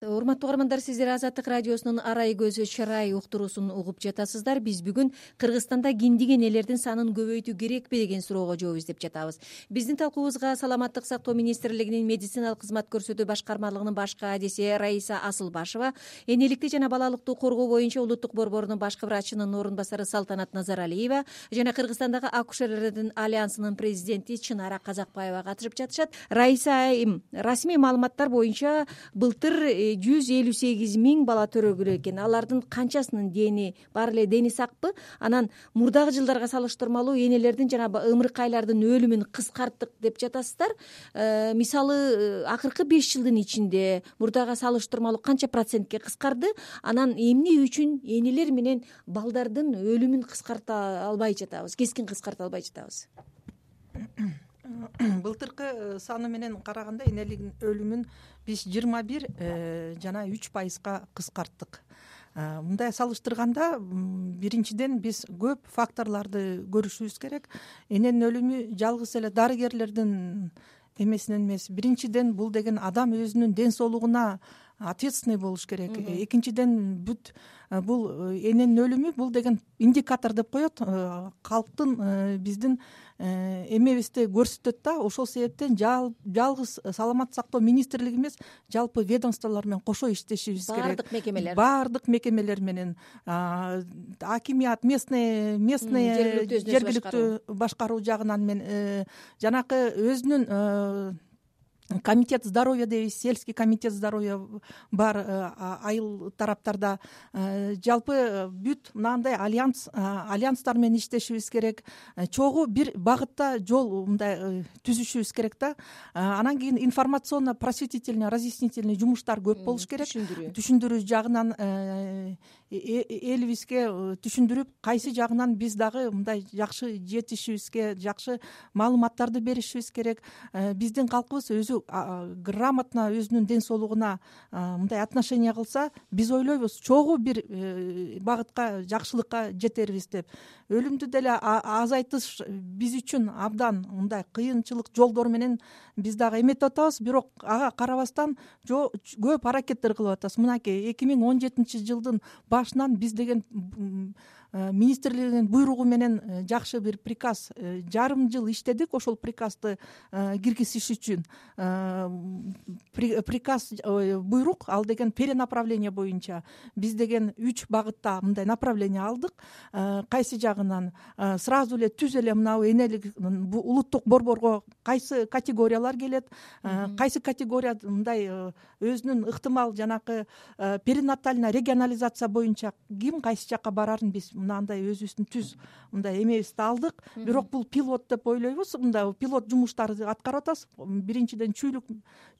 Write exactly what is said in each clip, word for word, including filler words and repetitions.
Урматтуу угармандар, сиздер Азаттык радиосунун Арай көзү чырай уктуруусун угуп жатасыздар. Биз бүгүн Кыргызстанда киндик энелердин санын көбөйтүү керекпи деген суроого жооп издеп жатабыз. Биздин талкуубузга Саламаттык сактоо министрлигинин медициналык кызмат көрсөтүү башкармалыгынын баш каадиси Раиса Асылбашева, энеликти жана балалыкты коргоо боюнча улуттук борборунун башкы врачынын орун басары Салтанат Назаралиева жана Кыргызстандагы акушерлердин альянсынын президенти Чынара Казакбаева катышып жатышат. Раиса айым, расмий маалыматтар боюнча былтыр жүз элүү сегиз миң бала төрөлгөн экен. Алардын канчасынын дени баары эле дени сакпы? Анан мурдагы жылдарга салыштырмалуу энелердин жана ымыркайлардын өлүмүн кыскарттык деп жатасыздар. Э, мисалы акыркы беш жылдын ичинде мурдага салыштырмалуу канча процентке кыскарды? Анан эмне үчүн энелер менен балдардын өлүмүн кыскарта албай жатабыз, кескин кыскарта албай жатабыз? Былтыркы саны менен караганда энеликтин өлүмүн биз жыйырма бир жана үч пайызга кыскарттык. Мындай салыштырганда, биринчиден биз көп факторлорду көрүшүбүз керек. Эненин өлүмү жалгыз эле дарыгерлердин эмесинен эмес. Биринчиден бул деген адам өзүнүн ден соолугуна ответственный болуш керек. Экинчиден бүт бул эненин өлүмү бул деген индикатор деп коет, калктын биздин эмебизди көрсөтөт да. Ошол себептен жалгыз саламаттык сактоо министрлиги эмес, жалпы ведомстволор менен кошо иштешибиз керек. Баардык мекемелер баардык мекемелер менен, акимият, местный местный жергиликтүү башкаруу жагынан мен жанакы өзүнүн комитет здоровья дейбиз, сельский комитет здоровья бар айыл тараптарда. Жалпы бүт мынандай альянс альянстар менен иштешибиз керек. Чогуу бир багытта жол мындай түзүшүбүз керек да. Анан кийин информационно просветительный, разъяснительный жумуштар көп болуш керек. Түшүндүрүү жагынан элибизге түшүндүрүп, кайсы жагынан биз дагы мындай жакшы жетишибизге, жакшы маалыматтарды беришибиз керек. Биздин калкыбыз өзү грамотно өзүнүн ден соолугуна мындай отношение кылса, биз ойлойбуз чогуу бир багытка, жакшылыкка жетербиз деп. Өлүмдү деле азайтыш биз үчүн абдан мындай кыйынчылык жолдор менен биз дагы эметип атабыз, бирок ага карабастан көп аракеттер кылып атабыз. Мынакей эки миң он жетинчи жылдын башынан биз деген министрлигинин буйругу менен жакшы бир приказ, жарым жыл иштедик ошол приказды киргизиш үчүн. Приказ, буйрук, ал деген перенаправление боюнча биз деген үч багытта мындай направление алдык. Кайсы жагынан сразу эле түз эле мынау энелик улуттук борборго кайсы категориялар келет, кайсы категория мындай өзүнүн ыктымал жанакы перинатальная регионализация боюнча ким кайсы жакка барарын биз мынандай өзүбүздүн түз мындай эмебизди алдык. Бирок бул пилот деп ойлойбуз. Мындай пилот жумуштарды аткарып атабыз. Биринчиден Чүйлүк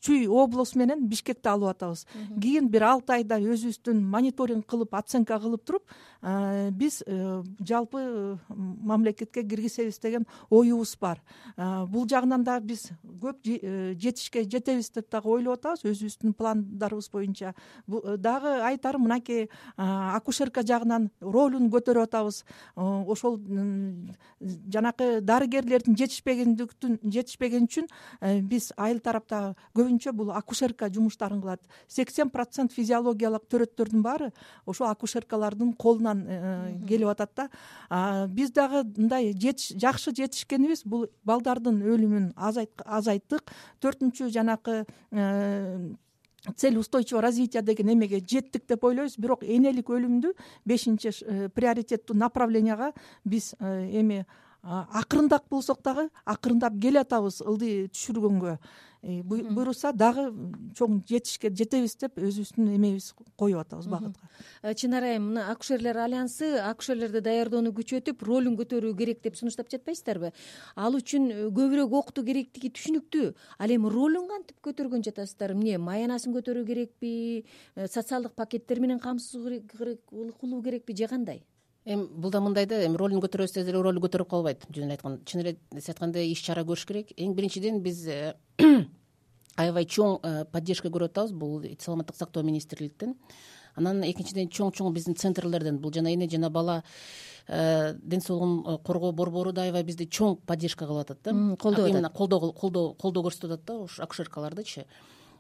Чүй облус менен Бишкекти алып атабыз. Кийин бир алты айда өзүбүздүн мониторинг кылып, оценка кылып туруп, биз жалпы мамлекетке киргизебиз деген оюбуз бар. Бул жагынан да биз көп жетишке жетебиз деп дагы ойлоп атабыз өзүбүздүн пландарыбыз боюнча. Дагы айтарым, мынакей акушерка жагынан ролун көтөрүп атабыз. Ошол жанакы дарыгерлердин жетишпегендиктин жетишпеген үчүн биз айыл тарапта көбүнчө бул акушерка жумуштарын кылат. сексен процент физиологиялык төрөттөрдүн баары ошо акушеркалардын колунан келип атат да. Биз дагы мындай жакшы жетишкенибиз, бул балдардын өлүмүн азайттык. Төртүнчү жанакы цель устойчивого развития деген эмеге жеттик деп ойлойбуз. Бирок энелик өлүмдү бешинчи приоритеттүү направленияга биз эми акырындап болсок дагы акырындап келатабыз ылдый түшүргөнгө. Буйруса дагы чоң жетишке жетебиз деп өзүбүздүн эмебиз коюп атабыз багытка. Чынара айым, мына акушерлер альянсы акушерлерди даярдоону күчөтүп, ролун көтөрүү керек деп сунуштап жатпайсыздарбы? Ал үчүн көбүрөөк окутуу керектиги түшүнүктүү. Ал эми ролун кантип көтөргөн жатасыздар? Эмне, маянасын көтөрүү керекпи? Социалдык пакеттер менен камсыз кылуу керекпи же кандай? Эми бул да мындай да, эми ролун көтөрөбүз деле ролу көтөрүп калбайт. Жөн эле айтканда, чын эле айтканда иш чара көрүш керек. Эң биринчиден биз аябай чоң поддержка көрүп атабыз бул саламаттык сактоо министрликтен. Анан экинчиден чоң-чоң биздин центрлерден, бул жана эне жана бала ден соолугун коргоо борбору да аябай бизди чоң поддержка кылып атат да. Колдоо колдоо колдоо колдоо көрсөтүп атат да, ушу акушеркалардычы.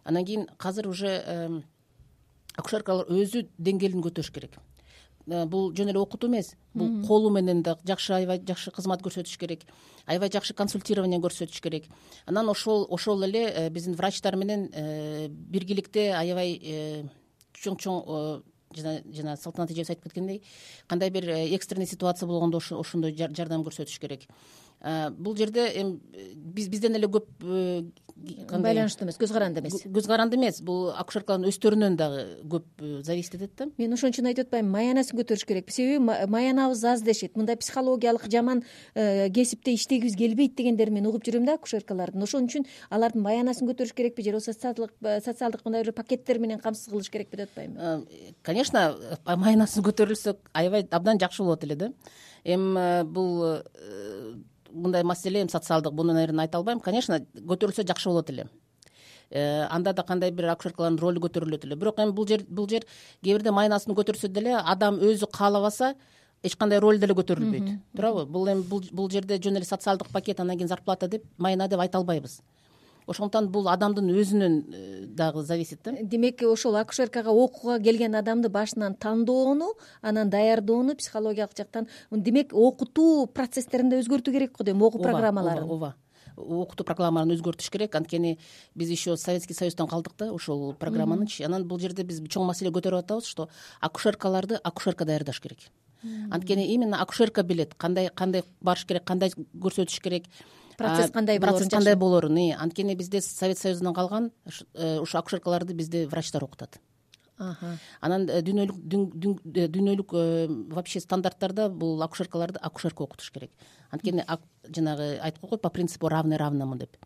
Анан кийин азыр уже акушеркалар өзү деңгээлин көтөрүш керек. Бул жөн эле окутуу эмес, бул колу менен да жакшы, аябай жакшы кызмат көрсөтүш керек, аябай жакшы консультирование көрсөтүш керек. Анан ошол ошол эле биздин врачтар менен биргеликте аябай чоң чоң жана жана Салтанат эжебиз айтып кеткендей, кандай бир экстренный ситуация болгондо ошондой жардам көрсөтүш керек. Бул жерде эми биз бизден эле көп байланыштуу эмес, көз каранды эмес. Көз каранды эмес, бул акушеркалардын өздөрүнөн дагы көп зависит этет да. Мен ошон үчүн айтып атпаймынбы, маянасын көтөрүш керек. Себеби маянабыз аз дешет. Мындай психологиялык жаман кесипте иштегибиз келбейт дегендерин мен угуп жүрөм да акушеркалардын. Ошон үчүн алардын маянасын көтөрүш керекпи же социалдык социалдык мындай бир пакеттер менен камсыз кылыш керекпи деп атпаймынбы? Конечно, маянасын көтөрүлсө аябай абдан жакшы болот эле да. Эми бул мындай маселе эми социалдык, буну наверное айта албайм. Конечно, көтөрүлсө жакшы болот эле. Анда да кандай бир акушеркалардын ролу көтөрүлөт эле. Бирок эми бул жер бул жер кээ бирде маянасын көтөрсө деле адам өзү каалабаса эч кандай роль деле көтөрүлбөйт. Туурабы? Бул эми бул жерде жөн эле социалдык пакет, анан кийин зарплата деп, майна деп айта албайбыз. Ошондуктан бул адамдын өзүнөн дагы зависит да. Демек ошол акушеркага окууга келген адамды башынан тандоону, анан даярдоону психологиялык жактан, демек окутуу процесстерин да өзгөртүү керек го дейм, окуу программаларын. Ооба, окутуу программаларын өзгөртүш керек. Анткени биз еще Советский Союздан калдык да ошол программанычы. Анан бул жерде биз чоң маселе көтөрүп атабыз, что акушеркаларды акушерка даярдаш керек. Анткени именно акушерка билет кандай кандай барыш керек, кандай көрсөтүш керек, процесс кандай болорун, процесс кандай болорун. Анткени бизде Совет Союзунан калган ушу акушеркаларды бизде врачтар окутат. Анан дүйнөлүк дүйнөлүк вообще стандарттарда бул акушеркаларды акушерка окутуш керек. Анткени жанагы айткан го по принципу равный равному деп.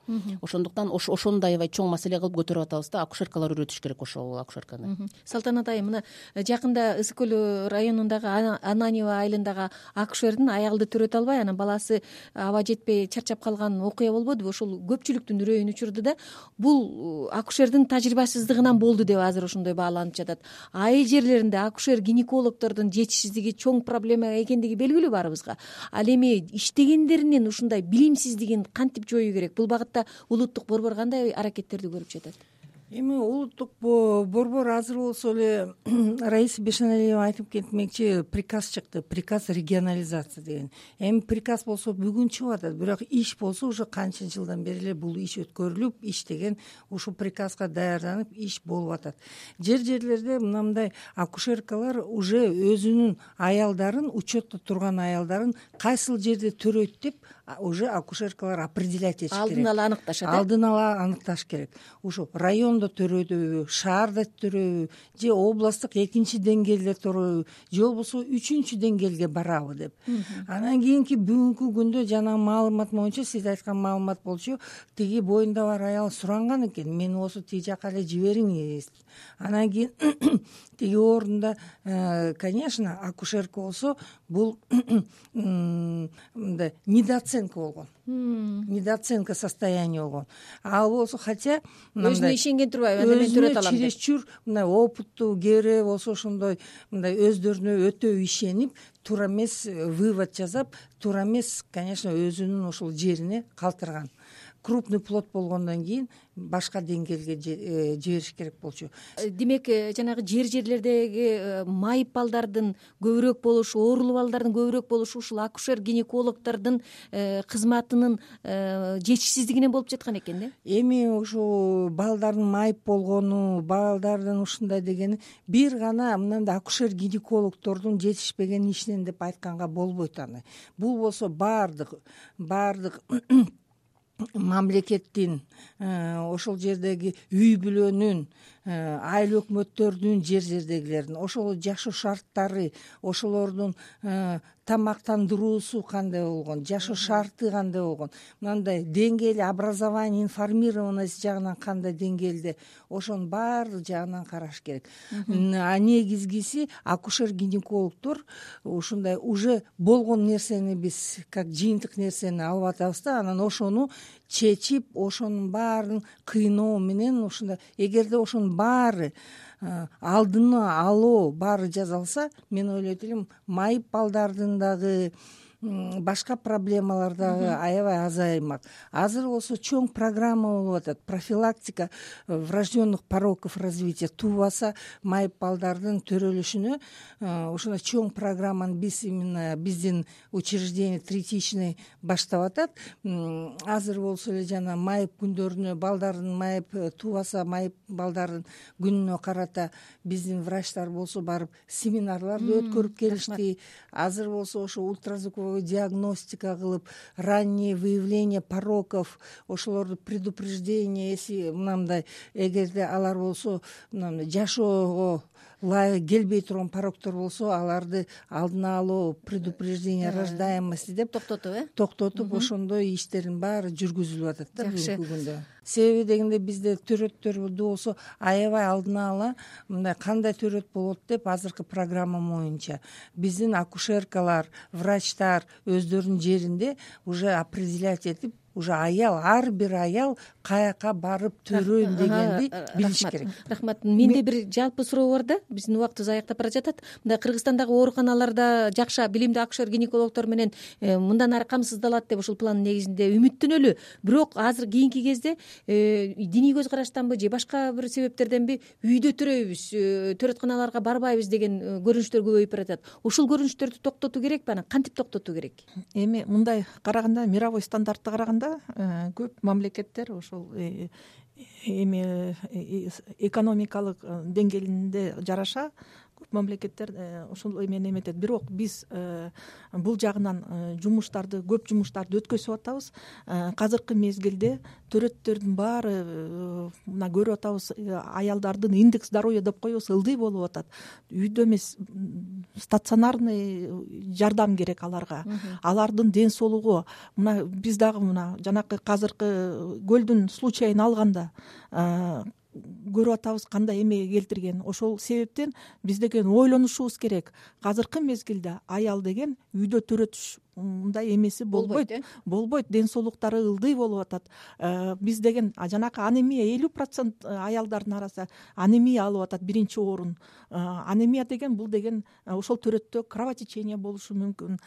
Ошондуктан ошону да аябай чоң маселе кылып көтөрүп атабыз да, акушеркалар үйрөтүш керек ошол акушерканы. Салтанат айым, мына жакында Ысык көл районундагы Ананьево айылындагы акушердин аялды төрөтө албай, анан баласы аба жетпей чарчап калган окуя болбодубу? Ошол көпчүлүктүн үрөйүн учурду да. Бул акушердин тажрыйбасыздыгынан болду деп азыр ошондой бааланып жатат. Айыл жерлеринде акушер гинекологдордун жетишсиздиги чоң проблема экендиги белгилүү баарыбызга. Ал эми иштегендеринин ушундай билимсиздигин кантип жоюу керек? Бул багытта улуттук борбор кандай аракеттерди көрүп жатат? Эми улуттук борбор азыр болсо эле Раиса Бешеналиева айтып кетмекчи, приказ чыкты, приказ регионализация деген. Эми приказ болсо бүгүн чыгып атат, бирок иш болсо уже канча жылдан бери эле бул иш өткөрүлүп, иштеген, ушул приказга даярданып иш болуп атат. Жер жерлерде мындай акушеркалар уже өзүнүн аялдарын, учетто турган аялдарын кайсыл жерде төрөйт деп уже акушеркалар определять этиш керек. Алдын ала аныкташат. Алдын ала аныкташ керек. Ушу райондо төрөйбү, шаарда төрөйбү, же областтык экинчи деңгээлде төрөйбү, же болбосо үчүнчү деңгээлге барабы деп. Анан кийинки бүгүнкү күндө жана маалымат боюнча, сиз айткан маалымат болчу, тиги боюнда бар аял суранган экен, мени болсо тиги жака эле жибериңиз. Анан кийин тиги орунда, конечно, акушерка болсо бул мындай недооценка болгон. Недооценка состояния болгон. Ал болсо, хотя өзүнө ишенген турбайбы, анда мен төрөт алам деп. Чересчур мындай опыттуу, кээ болсо ошондой мындай өздөрүнө өтө ишенип, туура эмес вывод жасап, туура эмес, конечно, өзүнүн ошол жерине калтырган. Крупный плод болгондон кийин башка деңгээлге жибериш керек болчу. Демек, жанагы жер жерлердеги майып балдардын көбүрөөк болушу, оорулуу балдардын көбүрөөк болушу ушул акушер гинекологдордун кызматынын жетишсиздигинен болуп жаткан экен да. Эми ушу балдардын майып болгону, балдардын ушундай дегени бир гана мындай акушер гинекологдордун жетишпеген ишинен деп айтканга болбойт аны. Бул болсо баардык баардык мамлекеттин, ошол жердеги үй бүлөнүн, айыл өкмөттөрдүн, жер жердегилердин ошол жашоо шарттары, ошолордун тамактандыруусу кандай болгон, жашоо шарты кандай болгон, мындай деңгээли образование, информированность жагынан кандай деңгээлде, ошонун баардык жагынан караш керек. А негизгиси акушер-гинекологдор ушундай уже болгон нерсени биз как жыйынтык нерсени алып атабыз да, анан ошону чечип, ошонун баарын кыйноо менен ушундай, эгерде ошонун баары алдыны алуу баары жасалса, мен ойлойт элем майып балдардын дагы башка проблемалар дагы аябай азаймак. Азыр болсо чоң программа болуп атат, профилактика врожденных пороков развития, туубаса майып балдардын төрөлүшүнө ошондой чоң программаны биз именно биздин учреждение третичный баштап атат. Азыр болсо эле жана майып күндөрүнө балдардын майып туубаса майып балдардын күнүнө карата биздин врачтар болсо барып семинарларды өткөрүп келишти. Азыр болсо ошо ультразвуковой диагностика кылып, раннее выявление пороков, ошолорду предупреждение, если мындай эгерде алар болсо мындай жашоого ылайык келбей турган пороктор болсо аларды алдын алуу, предупреждение рождаемости деп токтотуп э токтотуп ошондой иштердин баары жүргүзүлүп атат да бүгүнкү күндө. Себеби дегенде бизде төрөттөр болсо аябай алдын ала мындай кандай төрөт болот деп азыркы программа боюнча биздин акушеркалар, врачтар өздөрүнүн жеринде уже определять этип, уже аял, ар бир аял каяка барып төрөйм дегенди билиш керек. Рахмат. Менде бир жалпы суроо бар да, биздин убактыбыз аяктап бара жатат. Мындай Кыргызстандагы ооруканаларда жакшы билимдүү акушер гинекологдор менен мындан ары камсыздалат деп ушул пландын негизинде үмүттөнөлү. Бирок азыр кийинки кезде диний көз караштанбы же башка бир себептерденби үйдө төрөйбүз, төрөтканаларга барбайбыз деген көрүнүштөр көбөйүп баратат. Ушул көрүнүштөрдү токтотуу керекпи? Анан кантип токтотуу керек? Эми мындай караганда, мировой стандартка караганда көп мамлекеттер ошол эми экономикалык деңгээлинде жараша көп мамлекеттер ошол эмени эметет. Бирок биз бул жагынан жумуштарды, көп жумуштарды өткөзүп атабыз. Азыркы мезгилде төрөттөрдүн баары мына көрүп атабыз, аялдардын индекс здоровья деп коебуз, ылдый болуп атат. Үйдө эмес, стационарный жардам керек аларга. Алардын ден соолугу, мына биз дагы мына жанакы азыркы көлдүн случайын алганда көрүп атабыз кандай эмеге келтирген. Ошол себептен биз деген ойлонушубуз керек. Азыркы мезгилде аял деген үйдө төрөтүш мындай эмеси болбойт. Болбойт, ден соолуктары ылдый болуп атат. Биз деген жанакы анемия элүү процент аялдардын арасында анемия алып атат, биринчи орун. Анемия деген бул деген ошол төрөттө кровотечение болушу мүмкүн.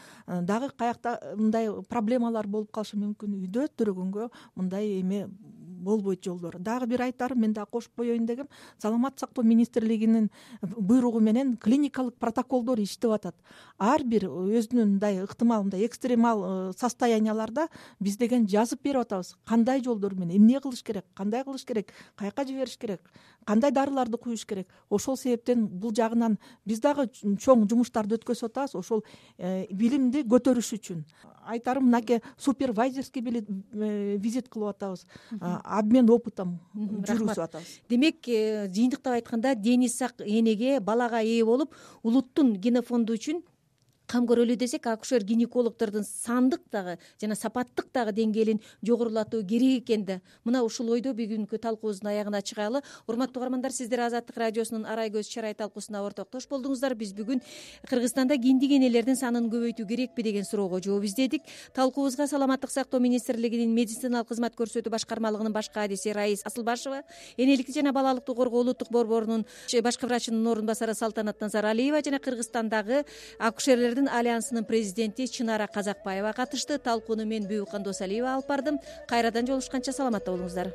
Дагы каякта мындай проблемалар болуп калышы мүмкүн. Үйдө төрөгөнгө мындай эме болбойт жолдор. Дагы бир айтарым, мен дагы кошуп коеюн дегем, саламаттык сактоо министрлигинин буйругу менен клиникалык протоколдор иштеп атат. Ар бир өзүнүн мындай ыктымал, мындай экстремал состоянияларда биз деген жазып берип атабыз. Кандай жолдор менен эмне кылыш керек, кандай кылыш керек, каяка жибериш керек, кандай дарыларды куюш керек. Ошол себептен бул жагынан биз дагы чоң жумуштарды өткөзүп атабыз ошол билимди көтөрүш үчүн. Айтарым, мынакей супервайзерский визит кылып атабыз, обмен опытом жүргүзүп атабыз. Демек, жыйынтыктап айтканда, дени сак энеге, балага ээ болуп, улуттун генофонду үчүн кам көрөлү десек, акушер гинекологдордун сандык дагы жана сапаттык дагы деңгээлин жогорулатуу керек экен да. Мына ушул ойдо бүгүнкү талкуубуздун аягына чыгалы. Урматтуу угармандар, сиздер Азаттык радиосунун Арай көз чарай талкуусуна ортоктош болдуңуздар. Биз бүгүн Кыргызстанда киндик энелердин санын көбөйтүү керекпи деген суроого жооп издедик. Талкуубузга Саламаттык сактоо министрлигинин медициналык кызмат көрсөтүү башкармалыгынын баш кадиси Раис Асылбашева, энеликти жана балалыкты коргоо улуттук борборунун башкы врачынын орун басары Салтанат Назаралиева жана Кыргызстандагы акушерлер альянсынын президенти Чынара Казакбаева катышты. Талкууну мен Бүбүкан Досалиева алып бардым. Кайрадан жолугушканча саламатта болуңуздар.